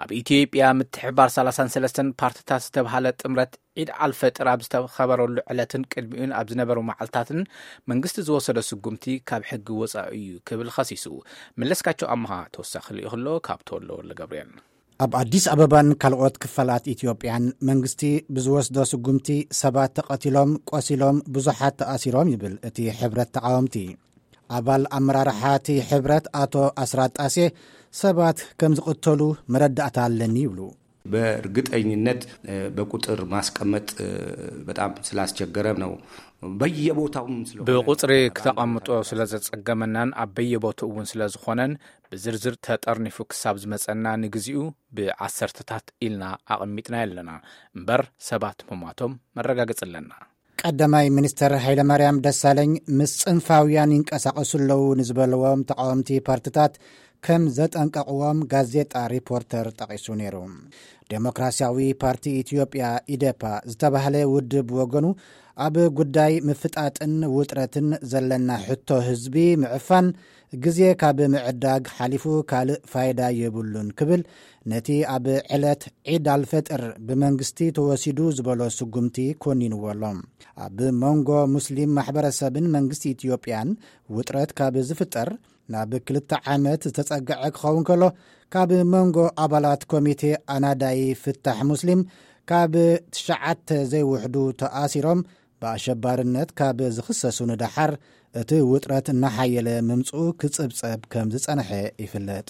ብኢትዮጵያ ምትሕብባር ሰላሳን ሰለስተን ፓርትታት ዝተብሃለ ጥምረት ዒድ ኣልፈጥር ኣብ ዝተኸበረሉ ዕለትን ቅድሚኡን ኣብ ዝነበሩ መዓልታትን መንግስቲ ዝወሰዶ ስጉምቲ ካብ ሕጊ ወፃኢ እዩ ክብል ኸሲሱ። መለስካቸው ኣምሃ ተወሳኺ ልኢኹ ኣሎ ካብ ተወሎ ወልደገብርኤል። ኣብ ኣዲስ ኣበባን ካልኦት ክፋላት ኢትዮጵያን መንግስቲ ብዝወስዶ ስጉምቲ ሰባት ተቐቲሎም፣ ቆሲሎም፣ ብዙሓት ተኣሲሮም ይብል እቲ ሕብረት ተቓወምቲ። ኣባል ኣመራርሓ እቲ ሕብረት ኣቶ ኣስራት ጣሴ ሰባት ከም ዝቕተሉ መረዳእታ ኣለኒ ይብሉ። በእርግጠኝነት በቁጥር ማስቀመጥ በጣም ስላስቸገረ ነው። በየቦታውም ስለሆነ ብቁፅሪ ክተቐምጦ ስለ ዘፀገመናን ኣብ በየቦትኡ እውን ስለ ዝኾነን ብዝርዝር ተጠርኒፉ ክሳብ ዝመፀና ንግዚኡ ብዓሰርተታት ኢልና ኣቐሚጥና ኣለና እምበር ሰባት ምሟቶም መረጋገፂ ኣለና። ቀዳማይ ሚኒስተር ሃይለማርያም ደሳለኝ ምስ ጽንፋውያን ይንቀሳቐሱ ኣለዉ ንዝበለዎም ተቓወምቲ ፓርትታት ከም ዘጠንቀቕዎም ጋዜጣ ሪፖርተር ጠቒሱ ነይሩ። ዴሞክራሲያዊ ፓርቲ ኢትዮጵያ ኢዴፓ ዝተባህለ ውድብ ወገኑ ኣብ ጉዳይ ምፍጣጥን ውጥረትን ዘለና ሕቶ ህዝቢ ምዕፋን ግዜ ካብ ምዕዳግ ሓሊፉ ካልእ ፋይዳ የብሉን ክብል ነቲ ኣብ ዕለት ዒድ ኣልፈጥር ብመንግስቲ ተወሲዱ ዝበሎ ስጉምቲ ኮኒንዎ ኣሎ። ኣብ መንጎ ሙስሊም ማሕበረሰብን መንግስቲ ኢትዮጵያን ውጥረት ካብ ዝፍጠር ናብ ክልተ ዓመት ዝተጸግዐ ክኸውን ከሎ ካብ መንጎ ኣባላት ኮሚቴ ኣናዳይ ፍታሕ ሙስሊም ካብ ትሽዓተ ዘይውሕዱ ተኣሲሮም ብኣሸባርነት ካብ ዝኽሰሱ ንደሓር እቲ ውጥረት እናሓየለ ምምፅኡ ክፅብፀብ ከም ዝፀንሐ ይፍለጥ።